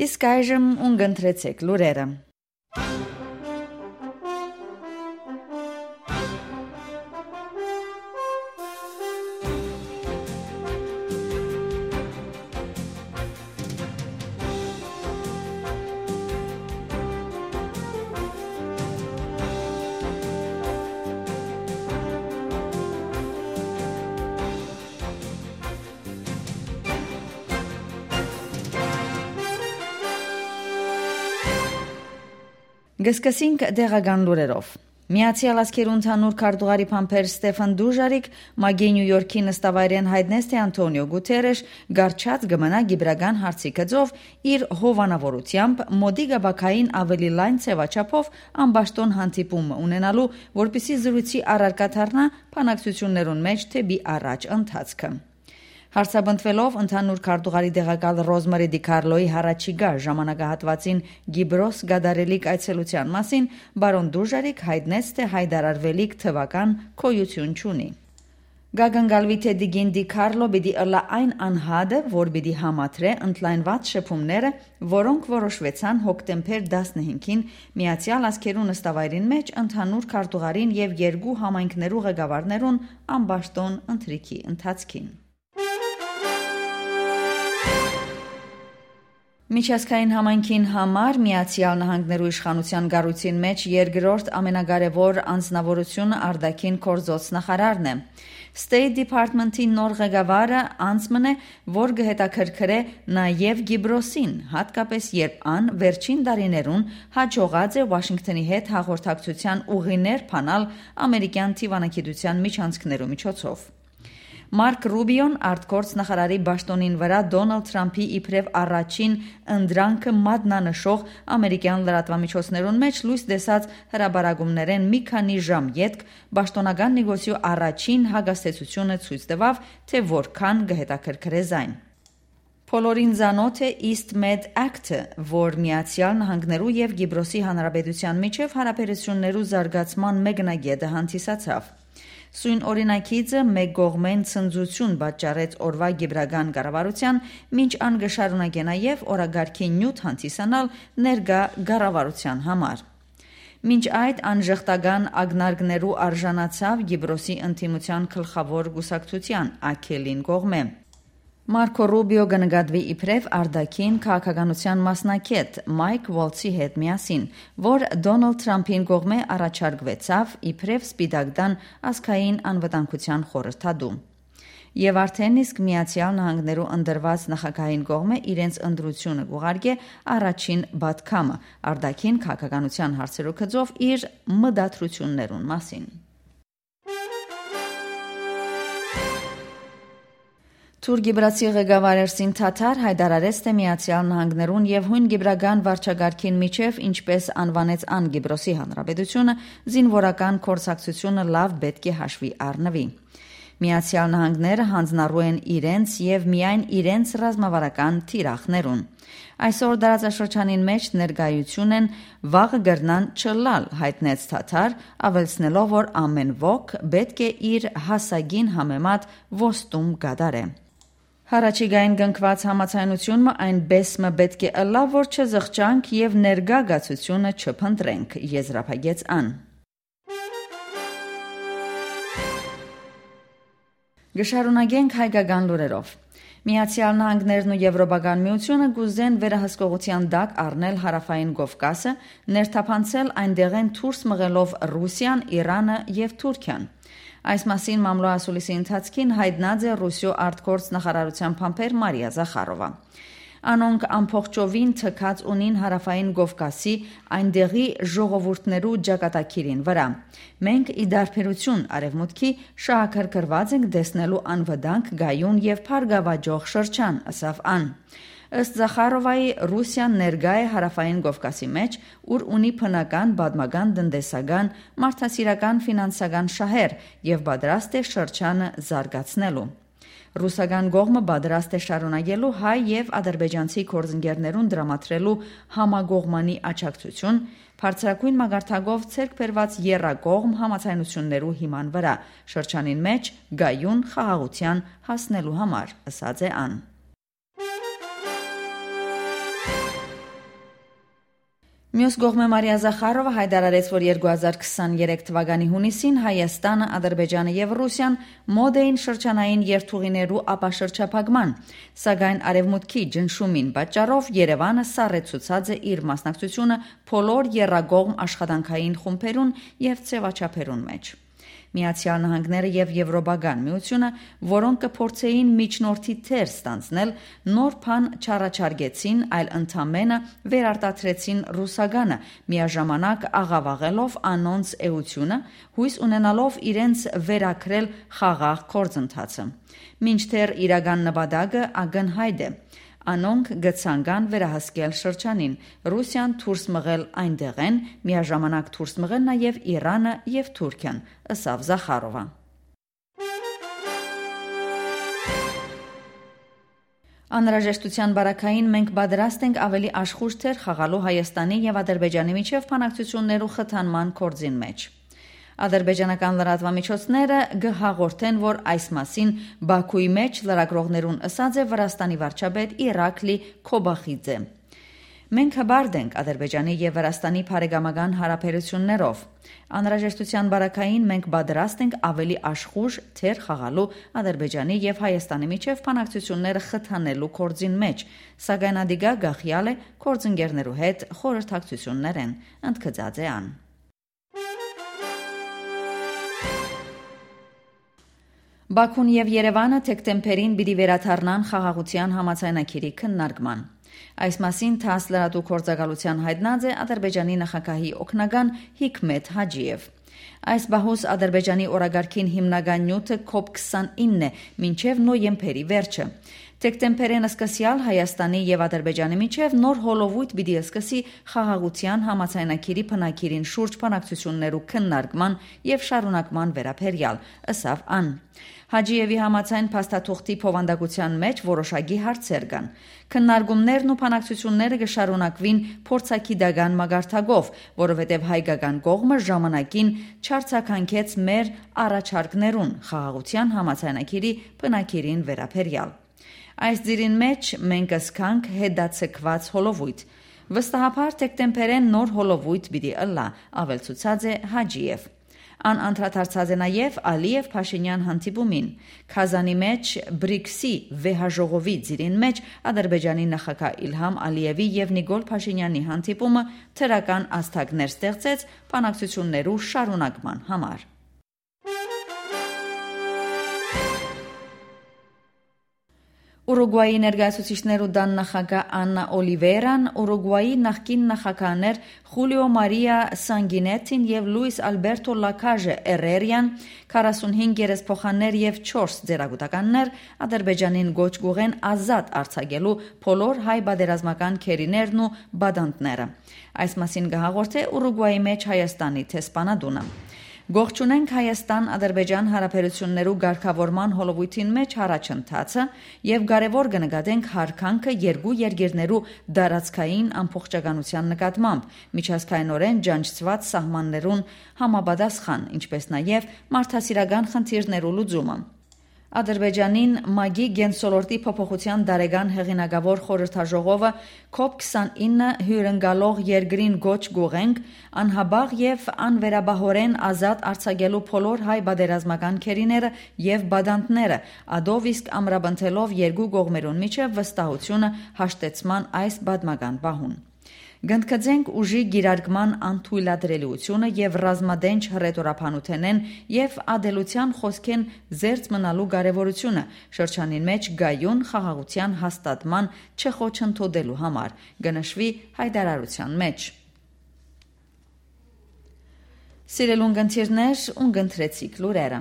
Իսկ այժմ ունգընտրեցեք լուրերը։ Գսկսինք դեղական լուրերով։ Միացյալ Ազգերի ընդհանուր քարտուղարի փամփեր Ստեֆան Դուժարիկ մագի Նյու Յորքի նստավայրեն հայտնեց, թե Անտոնիո Գուտերեշ գարչած գմնա գիբրական հարցի գծով իր հովանավորությամբ մոդի գաբակային ավելի լայն ցեվաչափով ամբաշտոն հանդիպում ունենալու, որպիսի զրույցի առարկա դառնա բանակցություններուն մեջ թեպի առաջ ընթացքը։ Հարցաբնթվելով ընդհանուր քարտուղարի դեղակալ Ռոզմարի Դիկարլոյի հառաջիկա ժամանակահատվածին Գիբրոս գադարելիք այցելության մասին, բարոն Դուժարիկ հայտնեց, թե հայտարարվելիք թվական քոյություն չունի։ Գագանգալվի թե Դիգին Դիկարլո պիտի ըլլա այն անհատը, որ պիտի համադրե ընդլայնված շփումները, որոնք որոշվեցան հոկտեմբեր 15-ին Միացյալ Ազգերու նստավայրին մեջ ընդհանուր քարտուղարին եւ երկու համայնքներու ղեկավարներուն ամբաշտոն ընթրիքի ընթացքին։ Միջազգային համայնքին համար Միացյալ Նահանգներու իշխանության գառույցին մեջ երկրորդ ամենակարևոր անձնավորությունը արտաքին գործոց նախարարն է։ State Department-ի նոր ղեկավարը անձն է, որ կհետաքրքրե նաև Գիբրոսին, հատկապես երբ ան վերջին տարիներուն հաջողած է Վաշինգտոնի հետ հաղորդակցության ուղիներ փանալ ամերիկյան թիվանագիտության միջանցքներու միջոցով։ Մարկ Ռուբիոն արտգործ նախարարի պաշտոնին վրա Դոնալդ Թրամփի իբրև առաջին ընդրանքը մատնանշող ամերիկյան լրատվամիջոցներուն մեջ լույս տեսած հրաբարակումներեն մի քանի ժամ ետք պաշտոնական նեգոցիու առաջին հագաստեցությունը ցույց տվավ, թե որքան կհետաքրքրե զայն։ Փոլորին զանոթ է East Med Act-ը, որ Միացյալ Նահանգներու եւ Գիբրոսի Հանրապետության միջև հարաբերություններու զարգացման մեկնագետը հանդիսացավ։ Սույն օրինակիցը մեկ կողմեն ցնծություն պատճառեց օրվա գիբրական կառավարության, մինչ ան գշարունակե նաև օրագարկի նյութ հանդիսանալ ներկա կառավարության համար։ Մինչ այդ անժխտական ագնարկներու արժանացավ Գիբրոսի ընդդիմության գլխավոր կուսակցության ԱՔԵԼ-ին կողմէ։ Մարկո Ռուբիո կնկատվի իբրև արտաքին քաղաքականության մասնակետ Մայք Ուոլցի հետ միասին, որ Դոնալդ Թրամփին կողմէ առաջարկվեցավ իբրև Սպիտակտան ազգային անվտանգության խորհրդադու։ Եվ արդեն իսկ Միացյալ Նահանգներու ընդրված նախագահային կողմէ իրենց ընտրությունը կուղարկե առաջին բադքամը արտաքին քաղաքականության հարցերու գծով իր մտադրություններուն մասին։ Թուրք-Գիբրացի ղեկավար Էրսին Թաթար հայտարարեց, թե Միացյալ Նահանգներուն եւ հույն գիբրական վարչագարքին միջև, ինչպես անվանեց ան Գիբրոսի Հանրապետությունը, զինվորական կորսակցությունը լավ պետք է հաշվի առնվի։ Միացյալ Նահանգները հանձնառու են իրենց եւ միայն իրենց ռազմավարական թիրախներուն։ Այսօր դարաշրջանին մեջ ներկայություն են վաղը գրնան չլալ, հայտնեց Թաթար, ավելցնելով, որ ամեն ոք պետք է իր հասագին համեմատ ոստում կատարե։ Հարաճիգային գնկված համացայնությունը այն բեսմը պետք է ըլլա, որ չզղջանք եւ ներկա գացությունը չփնտրենք, եզրափակեց ան։ Գշարունակենք հայկական լուրերով։ Միացյալ Նահանգներն ու Եվրոպական միությունը գուզեն վերահսկողության տակ առնել Հարավային Կովկասը, ներթափանցել այնտեղեն դուրս մղելով Ռուսիան, Իրանը եւ Թուրքիան։ Այս մասին մամլոասուլիսի ընթացքին հայտնած է Ռուսիո արտգործ նախարարության փամփեր Մարիա Զախարովա։ Անոնք ամփոխջովին թքած ունին Հարավային Կովկասի այնտեղի ժողովուրդներու ճակատագիրին վրա։ Մենք ի դարբերություն արևմուտքի շահակրկրված ենք տեսնելու անվտանգ, գայուն եւ փարգավաճող շրջան, ասավ ան։ Ըստ Զախարովայի Ռուսիան ներկա է Հարավային Կովկասի մեջ, ուր ունի բնական, պատմական, տնտեսական, մարդասիրական, ֆինանսական շահեր եւ պատրաստ է շրջանը զարգացնելու։ Ռուսական կողմը պատրաստ է շարունակելու հայ եւ ադրբեջանցի գործընկերներուն դրամատրելու համագողմանի աջակցություն, բարձրագույն մագարտակով ցերկ բերված եռակողմ համացայնություններու հիման վրա, շրջանին մեջ գայուն խաղաղության հասնելու համար, ասաց է ան։ Մյուս կողմը Մարիա Զախարովը հայտարարեց, որ 2023 թվականի հունիսին Հայաստանը, Ադրբեջանը եւ Ռուսիան մոտ էին շրջանային երթուղիներու ապաշրջափակման, սակայն Արևմուտքի ջնշումին պատճառով Երևանը սառեցուցած է իր մասնակցությունը բոլոր եռագողմ աշխատանքային խումբերուն եւ ձևաչափերուն մեջ։ Միացյալ Նահանգները եւ Եվրոպական միությունը, որոնք կփորձեին միջնորդի թեր ստանձնել, նոր բան չառաջարկեցին, այլ ընդամենը վերարտադրեցին ռուսականը, միաժամանակ աղավաղելով անոնց էությունը, հույս ունենալով իրենց վերակրել խաղաղ գործընթացը։ Մինչդեռ իրական նպատակը ակնհայտ է։ Անոնք գցանգան վերահսկել շրջանին, Ռուսիան դուրս մղել այնտեղեն, միաժամանակ դուրս մղել նաև Իրանը եւ Թուրքիան, ըսավ Զախարովը։ Անհրաժեշտության բարակային մենք պատրաստ ենք ավելի աշխույժ թեր խաղալու Հայաստանի եւ Ադրբեջանի միջև բանակցություններու խթանման կորձին մեջ։ Ադրբեջանական լրատվամիջոցները գհաղորդեն, որ այս մասին Բաքուի մեջ լրագրողներուն ըսած է Վրաստանի վարչապետ Իրակլի Քոբախիձե։ Մենք հբարդ ենք Ադրբեջանի եւ Վրաստանի բարեկամական հարաբերություններով։ Անհրաժեշտության բարակային մենք պատրաստ ենք ավելի աշխույժ թեր խաղալու Ադրբեջանի եւ Հայաստանի միջև բանակցությունները խթանելու կորձին մեջ, սակայն ադիգա գախյալ է կորձընկերներու հետ խորհրդակցություններ են, ընդգծած է ան։ Բաքուն եւ Երևանը դեկտեմբերին պիտի վերադառնան խաղաղության համաձայնագիրի քննարկման։ Այս մասին ԹԱՍՍ լրատու գործակալության հայտնած է Ադրբեջանի նախագահի օգնական Հիկմեթ Հաջիև։ Այս բահուս Ադրբեջանի օրագարքին հիմնական նյութը COP29 է, մինչև նոյեմբերի վերջը։ Դեկտեմբերին սկսյալ Հայաստանի եւ Ադրբեջանի միջև նոր հոլովույթ պիտի սկսի խաղաղության համաձայնագիրի բնակիրին շուրջ բանակցություններու քննարկման եւ շարունակման վերաբերյալ, ըսավ ան։ Հաջիևի համաձայն փաստաթուղթի փոխանդակության մեջ որոշակի հարցեր կան։ Քննարկումներն ու բանակցությունները կշարունակվին փորձագիտական մագարտակով, որովհետև հայկական կողմը ժամանակին չարցականքեց մեր առաջարկներուն խաղաղության համաձայնագիրի բնակիրին վերաբերյալ։ Այս դիրին մեջ մենք ասքանք հետացկված հոլովույթ։ Վստահաբար դեկտեմբերեն նոր հոլովույթ պիտի ըլլա, ավելցուցած է Հաջիև։ Ան անդրադարձած է նաև Ալիև Փաշինյան հանդիպումին։ Քազանի մեջ BRICS-ի վեհաժողովի ծիրին մեջ Ադրբեջանի նախագահ Իլհամ Ալիևի եւ Նիկոլ Փաշինյանի հանդիպումը թերական աստղներ ստեղծեց բանակցություններու շարունակման համար։ Ուրուգվայի ներկայացուցիչներու դան նախագահ Աննա Օլիվերան, Ուրուգվայի նախկին նախագահներ Խուլիո Մարիա Սանգինետին եւ Լուիս Ալբերտո Լակաժե Էրերյան, 45 երեսփոխաններ եւ 4 ձերագուտականներ Ադրբեջանին գոչ գուղեն ազատ արձակելու բոլոր հայ բادرազմական քերիներն ու բադանտները։ Այս մասին կհաղորդե Ուրուգվայի մեջ Հայաստանի տեսփանադունը։ Գողջունենք Հայաստան-Ադրբեջան հարաբերություններու ղեկավարման հոլովույթին մեջ առաջընթացը եւ կարեւոր կնկատենք հարկանքը երկու երկիրներու դարածքային ամբողջականության նկատմամբ, միջազգայինորեն ջանջված սահմաններուն համապատասխան, ինչպես նաեւ մարդասիրական խնդիրներու լուծումը։ Ադրբեջանին ՄԱԳ-ի գենսոլորտի փոփոխության դարեգան հեղինակավոր խորհրդաժողովը COP29 հյուրընկալող երկրին գոչ գուղենք անհաբաղ եւ անվերաբահորեն ազատ արձակելու բոլոր հայ բادرազմական քերիները եւ բադանտները, ադով իսկ ամրապնդելով երկու կողմերուն միջև վստահությունը հաշտեցման այս պատմական պահուն։ Գնդկացենք ուժի գիրարկման անթույլատրելիությունը եւ ռազմադենչ հռետորաբանութենեն եւ ադելության խոսքեն զերծ մնալու կարեւորությունը շրջանին մեջ գայուն խաղաղության հաստատման չխոչընդոտելու համար գնշվի հայտարարության մեջ։ Սիրելուն գընթիրներ, ունգընտրեցիք լուրերը։